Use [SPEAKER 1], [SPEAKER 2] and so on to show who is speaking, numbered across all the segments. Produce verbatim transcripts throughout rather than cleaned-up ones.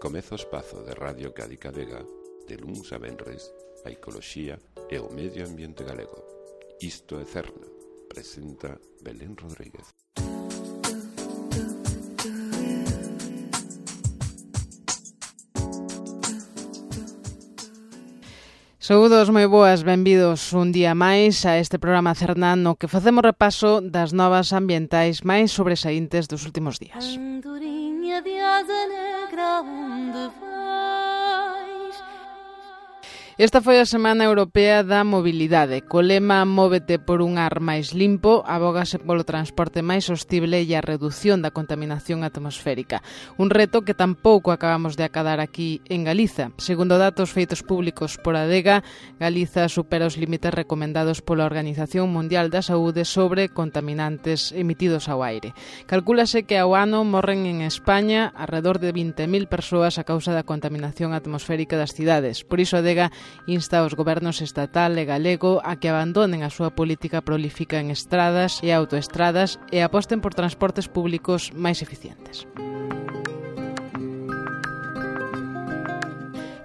[SPEAKER 1] Comeza o espazo de Radio Cádiz Vega de luns a venres a ecoloxía e o medio ambiente galego. Isto é Cerna, presenta Belén Rodríguez.
[SPEAKER 2] Saúdos moi boas, benvidos un día máis a este programa Cerna no que facemos repaso das novas ambientais máis sobresaíntes dos últimos días. Andorinha de asa negra, onde vais? Esta foi a Semana Europea da Mobilidade. Co lema Móvete por un ar máis limpo, abógase polo transporte máis sostible e a redución da contaminación atmosférica. Un reto que tampouco acabamos de acadar aquí en Galiza. Segundo datos feitos públicos por Adega, Galiza supera os límites recomendados pola Organización Mundial da Saúde sobre contaminantes emitidos ao aire. Calcúlase que ao ano morren en España alrededor de vinte mil persoas a causa da contaminación atmosférica das cidades. Por iso Adega insta aos gobernos estatal e galego a que abandonen a súa política prolífica en estradas e autoestradas e aposten por transportes públicos máis eficientes.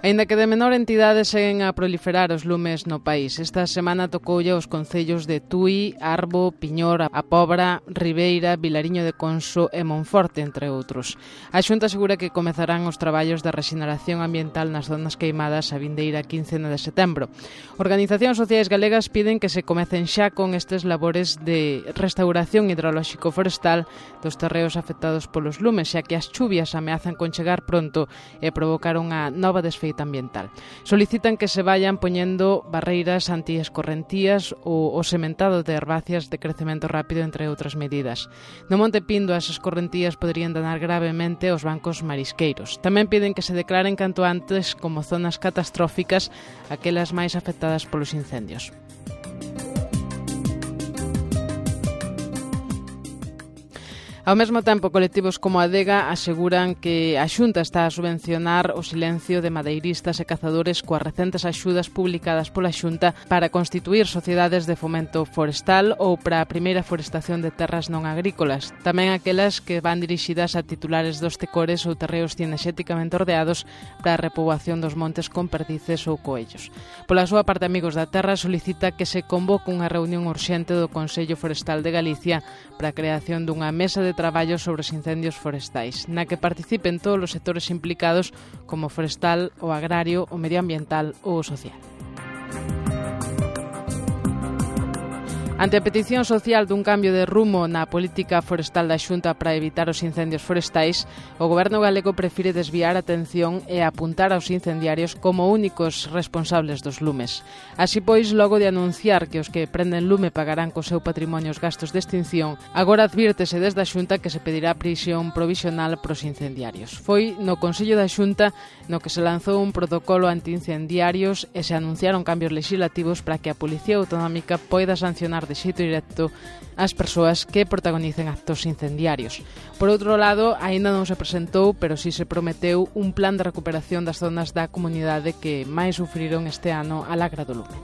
[SPEAKER 2] Aínda que de menor entidade seguen a proliferar os lumes no país. Esta semana tocoulle aos concellos de Tui, Arbo, Piñor, A Pobra, Ribeira, Vilariño de Conso e Monforte, entre outros. A Xunta asegura que comezarán os traballos de rexeneración ambiental nas zonas queimadas a vindeira quince de setembro. Organizacións sociais galegas piden que se comecen xa con estes labores de restauración hidrolóxico-forestal dos terreos afectados polos lumes, xa que as chuvias ameazan con chegar pronto e provocar unha nova desfeita ambiental. Solicitan que se vayan poñendo barreiras antiescorrentías ou o sementado de herbáceas de crecemento rápido, entre outras medidas. No Monte Pindo, as escorrentías poderían danar gravemente os bancos marisqueiros. Tamén piden que se declaren canto antes como zonas catastróficas aquelas máis afectadas polos incendios. Ao mesmo tempo, colectivos como Adega aseguran que a Xunta está a subvencionar o silencio de madeiristas e cazadores coas recentes axudas publicadas pola Xunta para constituir sociedades de fomento forestal ou para a primeira forestación de terras non agrícolas, tamén aquelas que van dirixidas a titulares dos tecores ou terreos cinexéticamente ordeados para a repoboación dos montes con perdices ou coellos. Pola súa parte, Amigos da Terra solicita que se convoque unha reunión urxente do Consello Forestal de Galicia para a creación dunha mesa de traballo sobre os incendios forestais, na que participen todos os sectores implicados como o forestal, o agrario, o medioambiental ou o social. Ante a petición social dun cambio de rumo na política forestal da Xunta para evitar os incendios forestais, o Goberno galego prefire desviar a atención e apuntar aos incendiarios como únicos responsables dos lumes. Así pois, logo de anunciar que os que prenden lume pagarán co seu patrimonio os gastos de extinción, agora advírtese desde a Xunta que se pedirá prisión provisional pros incendiarios. Foi no Consello da Xunta no que se lanzou un protocolo antiincendiarios e se anunciaron cambios legislativos para que a Policía Autonómica poida sancionar de xeito directo as persoas que protagonicen actos incendiarios. Por outro lado, aínda non se presentou, pero si se prometeu un plan de recuperación das zonas da comunidade que máis sufriron este ano a lagra do lume.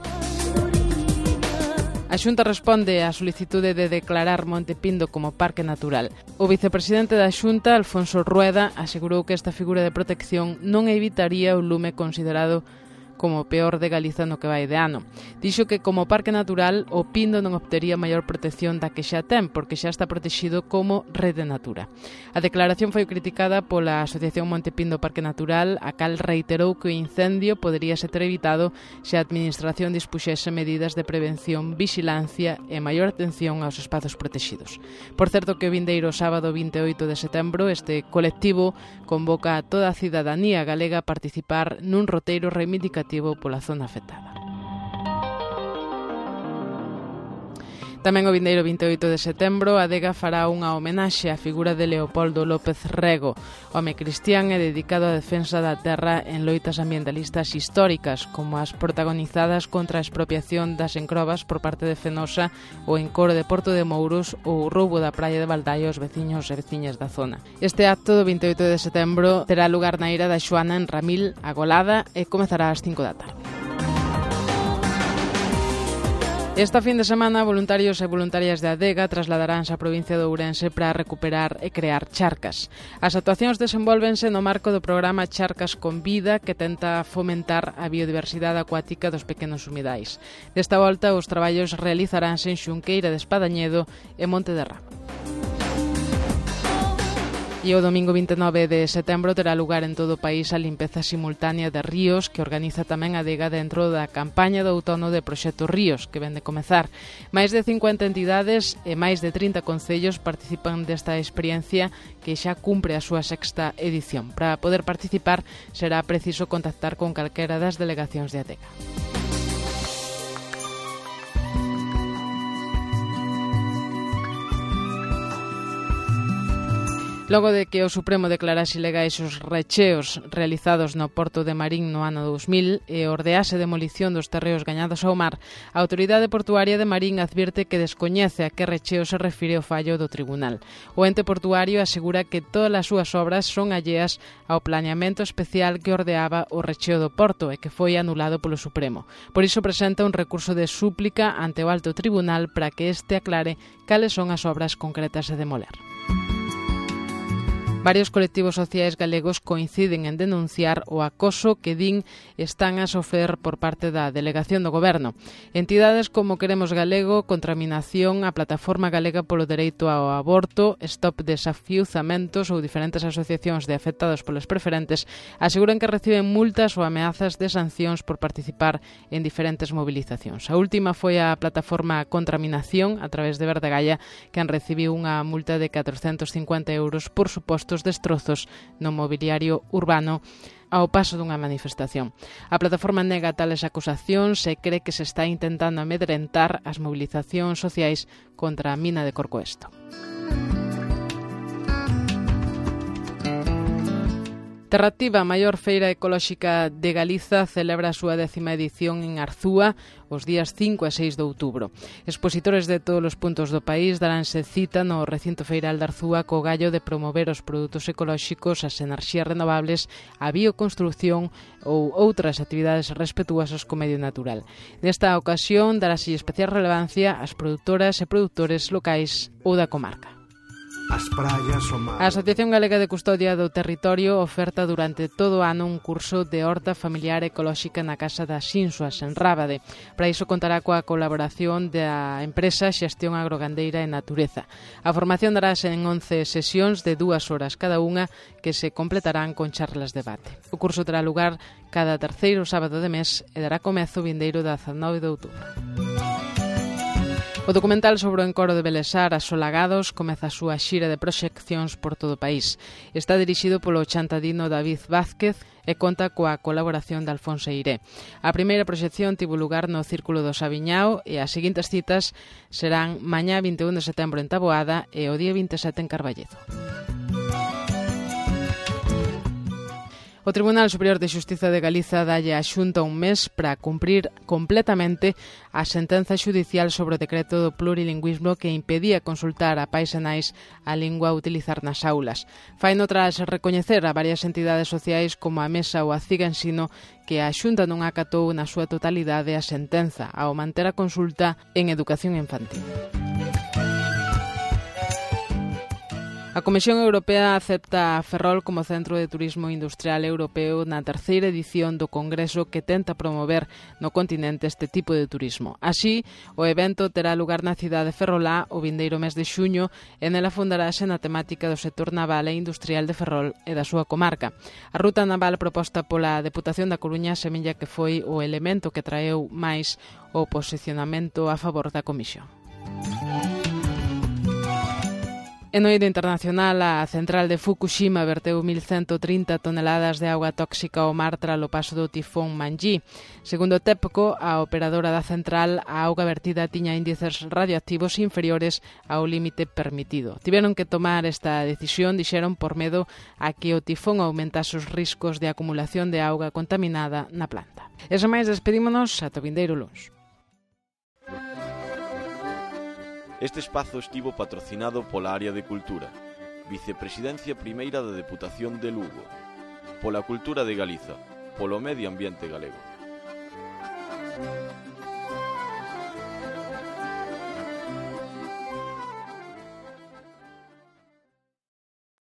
[SPEAKER 2] A Xunta responde á solicitude de declarar Monte Pindo como parque natural. O vicepresidente da Xunta, Alfonso Rueda, asegurou que esta figura de protección non evitaría o lume considerado como o peor de Galiza no que vai de ano. Dixo que como parque natural o Pindo non obtería maior protección da que xa ten, porque xa está protegido como rede natura. A declaración foi criticada pola Asociación Monte Pindo Parque Natural, a cal reiterou que o incendio podería ser evitado se a Administración dispuxese medidas de prevención, vixilancia e maior atención aos espazos protegidos. Por certo que o vindeiro sábado vinte e oito de setembro este colectivo convoca a toda a cidadanía galega a participar nun roteiro reivindicativo pola zona afectada. Tamén o vindeiro vinte e oito de setembro, a Adega fará unha homenaxe á figura de Leopoldo López Rego, home cristián e dedicado á defensa da terra en loitas ambientalistas históricas, como as protagonizadas contra a expropiación das encrobas por parte de Fenosa, o encoro de Porto de Mouros ou o roubo da praia de Baldaio aos veciños e veciñas da zona. Este acto do vinte e oito de setembro terá lugar na ira da Xoana en Ramil, a Golada, e comezará ás cinco da tarde. Esta fin de semana, voluntarios e voluntarias de Adega trasladaránse á provincia de Ourense para recuperar e crear charcas. As actuacións desenvólvense no marco do programa Charcas con Vida, que tenta fomentar a biodiversidade acuática dos pequenos humidais. Desta volta, os traballos realizaránse en Xunqueira de Espadañedo e Monte de Ramo. E o domingo vinte e nove de setembro terá lugar en todo o país a limpeza simultánea de ríos que organiza tamén a Adega dentro da campaña do outono de Proxecto Ríos, que ven de comezar. Máis de cincuenta entidades e máis de trinta concellos participan desta experiencia que xa cumpre a súa sexta edición. Para poder participar será preciso contactar con calquera das delegacións de Adega. Logo de que o Supremo declarase ilegais os recheos realizados no porto de Marín no ano dous mil e ordease demolición dos terreos gañados ao mar, a Autoridade Portuaria de Marín advirte que descoñece a que recheo se refire o fallo do tribunal. O ente portuario asegura que todas as súas obras son alleas ao planeamento especial que ordeaba o recheo do porto e que foi anulado polo Supremo. Por iso presenta un recurso de súplica ante o Alto Tribunal para que este aclare cales son as obras concretas a demoler. Varios colectivos sociais galegos coinciden en denunciar o acoso que din están a sofrer por parte da Delegación do Goberno. Entidades como Queremos Galego, Contraminación, a Plataforma Galega polo Dereito ao Aborto, Stop Desafiuzamentos ou diferentes asociacións de afectados polas preferentes aseguran que reciben multas ou ameazas de sancións por participar en diferentes movilizacións. A última foi a Plataforma Contraminación, a través de Verdegalla, quen recibiu unha multa de catrocentos cincuenta euros por supostos destrozos no mobiliario urbano ao paso dunha manifestación. A plataforma nega tales acusacións e cree que se está intentando amedrentar as movilizacións sociais contra a mina de Corcoesto. Terrativa, a maior feira ecolóxica de Galiza, celebra a súa décima edición en Arzúa os días cinco e seis de outubro. Expositores de todos os puntos do país daránse cita no recinto feiral de Arzúa co gallo de promover os produtos ecolóxicos, as enerxías renovables, a bioconstrucción ou outras actividades respetuosas co medio natural. Nesta ocasión darase especial relevancia ás produtoras e produtores locais ou da comarca. As praias, o mar. A Asociación Galega de Custodia do Territorio oferta durante todo o ano un curso de horta familiar ecolóxica na Casa das Xinsuas, en Rábade. Para iso contará coa colaboración da empresa Xestión Agrogandeira e Natureza. A formación darase en once sesións de dúas horas cada unha que se completarán con charlas de debate. O curso terá lugar cada terceiro sábado de mes e dará comezo vindeiro dezanove de outubro. O documental sobre o encoro de Belesar, Asolagados, comeza a súa xira de proxeccións por todo o país. Está dirixido polo chantadino David Vázquez e conta coa colaboración de Alfonso Eiré. A primeira proxección tivo lugar no Círculo do Sabiñao e as seguintes citas serán mañá vinte e un de setembro en Taboada e o día vinte e sete en Carballedo. O Tribunal Superior de Xustiza de Galiza dalle á Xunta un mes para cumprir completamente a sentenza xudicial sobre o decreto do plurilingüismo que impedía consultar a pais e nais a lingua a utilizar nas aulas. Faino tras recoñecer a varias entidades sociais como a Mesa ou a Ciga Ensino que a Xunta non acatou na súa totalidade a sentenza ao manter a consulta en educación infantil. A Comisión Europea acepta a Ferrol como centro de turismo industrial europeo na terceira edición do Congreso que tenta promover no continente este tipo de turismo. Así, o evento terá lugar na cidade ferrolá o vindeiro mes de xuño e nela fundarase na temática do sector naval e industrial de Ferrol e da súa comarca. A ruta naval proposta pola Deputación da Coruña semella que foi o elemento que traeu máis o posicionamento a favor da Comisión. En oído internacional, a central de Fukushima verteu mil ciento trinta toneladas de auga tóxica ao mar tralo paso do tifón Manji. Segundo TEPCO, a operadora da central, a auga vertida tiña índices radioactivos inferiores ao límite permitido. Tiveron que tomar esta decisión, dixeron, por medo a que o tifón aumentase os riscos de acumulación de auga contaminada na planta. E sen máis, despedímonos ata o vindeiro luns.
[SPEAKER 3] Este espazo estivo patrocinado pola Área de Cultura, Vicepresidencia Primeira da Deputación de Lugo, pola Cultura de Galiza, polo Medio Ambiente Galego.